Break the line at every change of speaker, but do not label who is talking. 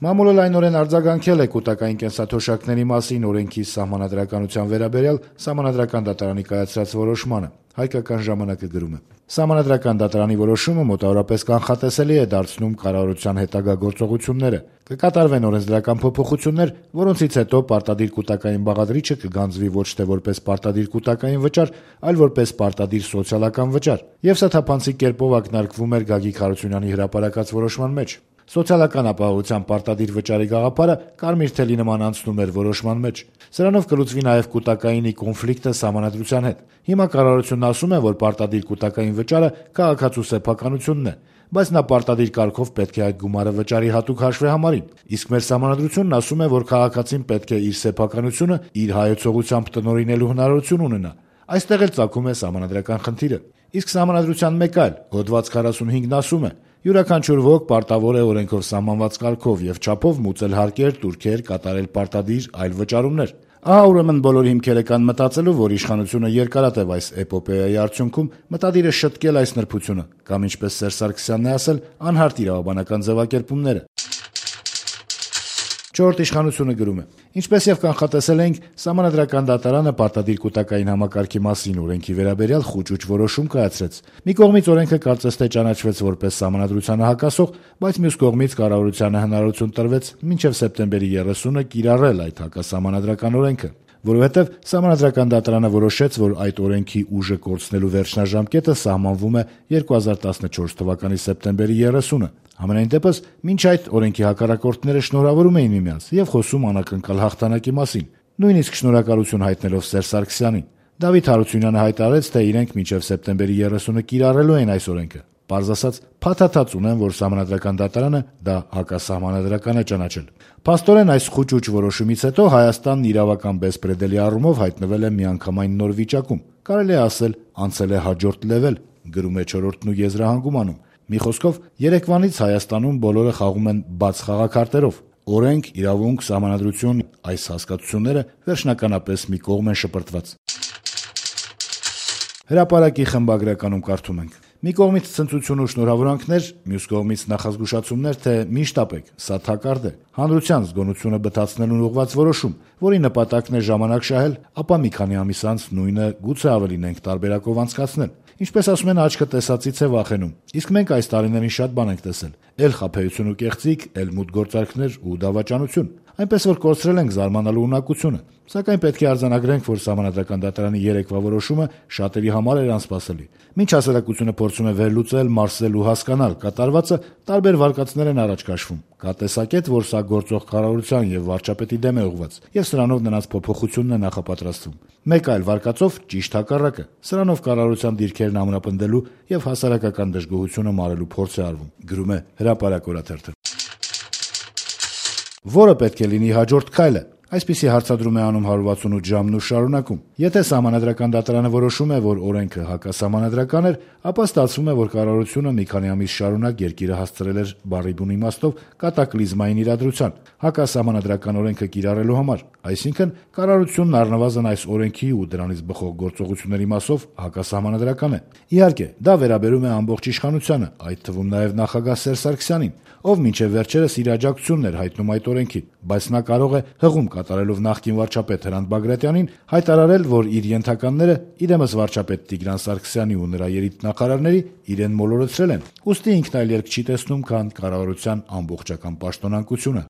Մամուլը լայնորեն արձագանքել է կուտակային կենսաթոշակների մասին օրենքի սահմանադրականության վերաբերյալ Սահմանադրական դատարանի կայացրած որոշմանը։ Հայկական ժամանակը գրում է. Սահմանադրական դատարանի որոշումը մոտավորապես կանխատեսելի է դարձնում կառավարության հետագա գործողությունները։ Կկատարվեն օրենսդրական փոփոխություններ, որոնցից հետո պարտադիր կուտակային բաղադրիչը կգանձվի ոչ թե որպես պարտադիր կուտակային վճար, այլ որպես պարտադիր սոցիալական վճար։ Եվ սա թափանցիկ կերպով ակնարկվում էր Գագիկ Հարությունյանի հրապարակած որոշման մեջ։ Սոցիալական ապահովության պարտադիր վճարի գաղափարը կարմիր թելի նման անցնում էր որոշման մեջ։ Սրանով կլուծվի նաև կուտակայինի կոնֆլիկտը Սահմանադրության հետ։ Հիմա կառավարությունն ասում է, որ պարտադիր կուտակային վճարը քաղաքացու սեփականությունն է, բայց նա պարտադիր կարգով պետք է այդ գումարը վճարի հատուկ հաշվեհամարին։ Իսկ մեր Սահմանադրությունն ասում է, որ քաղաքացին պետք է իր սեփականությունը իր հայեցողությամբ տնօրինելու հնարավորություն ունենա։ Այստեղ էլ ծագում է սահմանադրական խնդիրը։ Իսկ Սահմանադրության մեկ այլ հոդված 45-ն ասում է. յուրաքանչյուր ոք պարտավոր է օրենքով սահմանված կարգով եւ չափով մուծել հարկեր, տուրքեր, կատարել պարտադիր այլ վճարումներ։ Ահա ուրեմն բոլոր հիմքերը կան մտածելու, որ իշխանությունը երկարատև այս էպոպեայի արդյունքում մտադիր է շտկել այս նրբությունը, կամ ինչպես Սերժ Սարգսյանն է ասել, անհարթ իրավաբանական ձևակերպումները։ Չորրորդ իշխանությունը գրում է. Ինչպես եւ կանխատեսել էինք, Սահմանադրական դատարանը պարտադիր կուտակային համակարգի մասին օրենքի վերաբերյալ խուճուճ որոշում կայացրեց։ Մի կողմից օրենքը կարծես թե ճանաչվեց որպես Սահմանադրությանը հակասող, բայց մյուս կողմից կառավարությանը հնարավորություն տրվեց մինչև սեպտեմբերի 30-ը կիրառել այդ հակասահմանադրական օրենքը, որովհետև Սահմանադրական դատարանը որոշեց, որ այդ օրենքի ուժը կորցնելու վերջնաժամկետը սահմանվում է 2014 թվականի սեպտեմբերի 30-ը։ Համենայն դեպս, մինչ այդ օրենքի հակառակորդները շնորհավորում էին միմյանց եւ խոսում անակնկալ հաղթանակի մասին, նույնիսկ շնորհակալություն հայտնելով Սերժ Սարգսյանին։ Դավիթ Հարությունյանը հայտարարեց, թե իրենք մինչև սեպտեմբերի 30-ը կիրառելու են այս օրենքը։ Պարզ ասած, փաթաթած ունեն, որ Սահմանադրական դատարանը դա հակասահմանադրական է ճանաչել։ Փաստորեն այս խուճուճ որոշումից հետո Հայաստանն իրավական բեսպրեդելի առումով հայտնվել է միանգամայն նոր վիճակում։ Կարելի է ասել, անցել է հաջորդ լեվել, գրում է Չորրորդն ու եզրահանգում անում։ Մի խոսքով, երեկվանից Հայաստանում բոլորը խաղում են բաց խաղաքարտերով։ Օրենք, իրավունք, սահմանադրություն, այս հասկացությունները վերջնականապես մի կողմ են շպրտված։ Հրապարակի խմբագրականում կարդում ենք. մի կողմից ցնծություն ու շնորհավորանքներ, մյուս կողմից նախազգուշացումներ, թե մի շտապեք, սա թակարդ է։ Հանրության զգոնությունը բթացնելուն ուղղված որոշում, որի նպատակն է ժամանակ շահել, ապա մի քանի ամիս անց նույնը գուցե ավելին ենք տարբերակով անցկացնել։ Ինչպես ասում են, աչքը տեսածից է վախենում։ Իսկ մենք այս տարիներին շատ բան ենք տեսել. էլ խաբեություն ու կեղծիք, էլ մութ գործարքներ ու դավաճանություն։ Այնպես որ կորցրել ենք զարմանալու ունակությունը։ Սակայն պետք է արձանագրենք, որ Սահմանադրական դատարանի երեկվա որոշումը շատերի համար էր անսպասելի։ Մինչ հասարակությունը փորձում է վերլուծել, մարսել ու հասկանալ կատարվածը, տարբեր վարկածներ են առաջ քաշվում։ Կա տեսակետ, որ սա գործող կառավարության եւ վարչապետի դեմ է ուղղված, եւ սրանով նրանց փոփոխությունն է նախապատրաստվում։ Մեկ այլ վարկածով ճիշտ հակառակը։ Սրանով կառավարության դիրքերն ամրապնդելու եւ հասարակական դժգոհությունը մարելու փորձ է արվում, գրում է Հրապարակ օրաթերթը։ Որը պետք է լինի հաջորդ քայլը։ Այսպիսի հարցադրում է անում 168 ժամն ու շարունակում։ Եթե Սահմանադրական դատարանը որոշում է, որ օրենքը հակասահմանադրական էր, ապա ստացվում է, որ կառավարությունը մի քանի ամիս շարունակ երկիրը հասցրել էր բառի բուն իմաստով կատակլիզմային իրադրության, հակասահմանադրական օրենքը կիրառելու համար։ Այսինքն, կառավարությունն առնվազն այս օրենքի ու դրանից բխող գործողությունների մասով հակասահմանադրական է։ Իհարկե, դա վերաբերում է ամբողջ իշխանությանը, այդ թվում նաև նախագահ Սերժ Սարգսյանին, ով մինչև վերջերս իր աջակցությունն էր հայտնում այդ օրենքին, բայց նա կարող է հղում կատարելով նախկին վարչապետ Հրանտ Բագրատյանին հայտարարել, որ իր ենթականները իրեմս վարչապետ Տիգրան Սարգսյանի ու նրա երիտնախարարների իրեն մոլորեցրել են։ Ուստի ինքն այլ երկ չի տեսնում, քան կառավարության ամբողջական պաշտոնանկությունը։